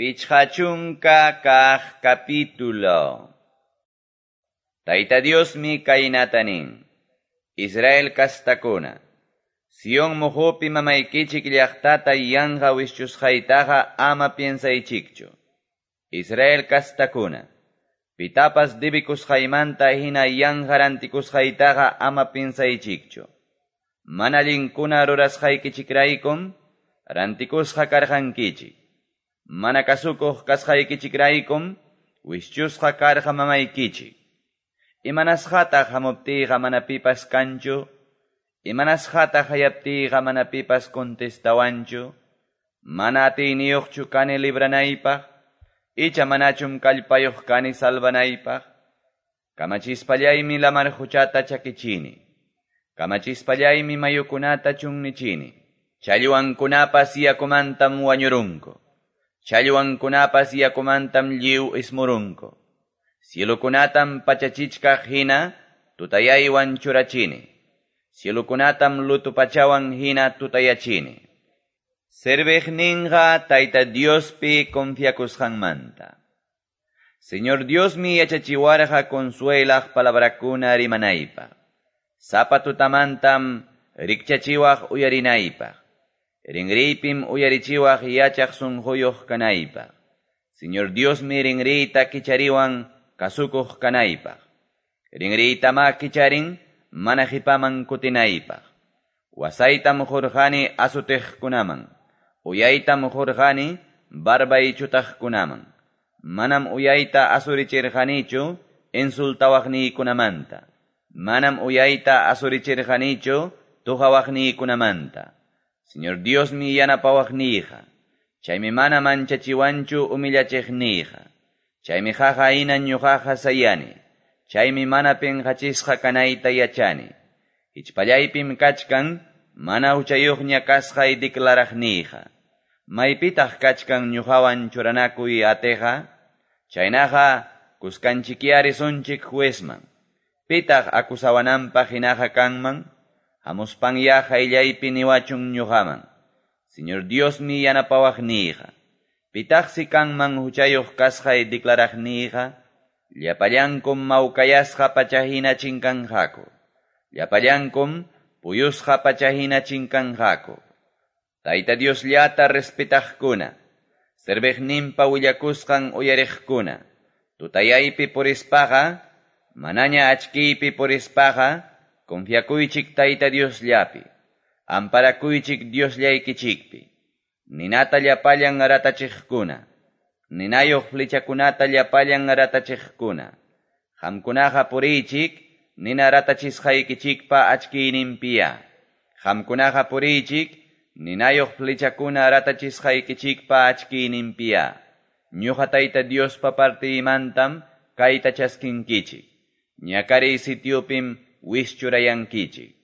50 kaq capítulo. Tayta Diosmi kaynata nin: Israel kastakuna, Sion muqupi mamaykichik llaqtata yanqa wischusqaytaqa ama piensaychikchu. Israel kastakuna, pitapas debikusqaymanta hina yanqa rantikusqaytaqa ama piensaychikchu. Mana allinkuna rurasqaykichikraykum rantikusqa karqankichik. Mana kasukuq kasqaykichikraykum wischusqa karqa mamaykichik. Imanasqataq hamuptiyqa mana pipas kanchu? Imanasqataq hayaptiyqa mana pipas contestawanchu? Mana atiyniyuqchu kani libranaypaq? Icha manachum kallpayuq kani salvanaypaq? Kamachispallaymi lamar quchata chakichini. Kamachispallaymi mayukunata chunnichini. Challwankunapas yakumantam wañurunku. Challwankunapas yakumantam lliw ismurunku. Cielukunatam pachachichkaq hina tutayaywan churachini. Cielukunatam lutu pachawan hina tutayachini. Serviqninqa Tayta Diospi confiakusqanmanta. Señor Diosmi yachachiwarqa consuelaq palabrakuna rimanaypaq. Sapa tutamantam rikchachiwaq uyarinaypaq. Rinriypim uyarichiwaq yachaq sunquyuq kanaypaq. Señor Diosmi rinriyta kichariwan kasukuq kanaypaq. Rinriytama kicharin mana qipaman kutinaypaq. Wasaytam qurqani asutiqkunaman. Uyaytam qurqani barbaychutaqkunaman. Manam uyayta asurichirqanichu insultawaqniykunamanta. Manam uyayta asurichirqanichu tuqawaqniykunamanta. Señor Diosmi yanapawaqniyqa. Chaymi mana manchachiwanchu humillachiqniyqa. Chaymi qaqa hina ñuqaqa sayani. Chaymi mana pinqachisqa kanayta yachani. Hichpallaypim kachkan mana huchayuqña kasqay declaraqniyqa. Maypitaq kachkan ñuqawan churanakuy atiqa? Chaynaqa kuskanchikyari risunchik juezman. Pitaq acusawananpaq hinaqa kanman? Hamuspanya qayllaypi niwachun ñuqaman. Señor Diosmi yanapawaqniyqa. Pitaqsi kanman huchayuq kasqay declaraqniyqa? Llapallankum mawkayasqa pachahina chinkanqaku. Llapallankum puyusqa pachahina chinkanqaku. Tayta Diosllata respetaqkuna, serviqninpa willakusqan uyariqkuna, tutayaypi purispaqa, manaña achkiypi purispaqa, confiakuychik Tayta Diosllapi, amparakuychik Diosllaykichikpi. Ninata llapallan ratachiqkuna, ninayuq flechakunata llapallan ratachiqkuna. Qamkunaqa puriychik, nina ratachisqaykichikpa achkiyninpiya. Qamkunaqa puriychik, ninayuq flechakuna ratachisqaykichikpa achkiyninpiya. Ñuqa Tayta Diospa partiymantam kayta chaskinkichik. Ñakariy sitiopim wischurayankichik.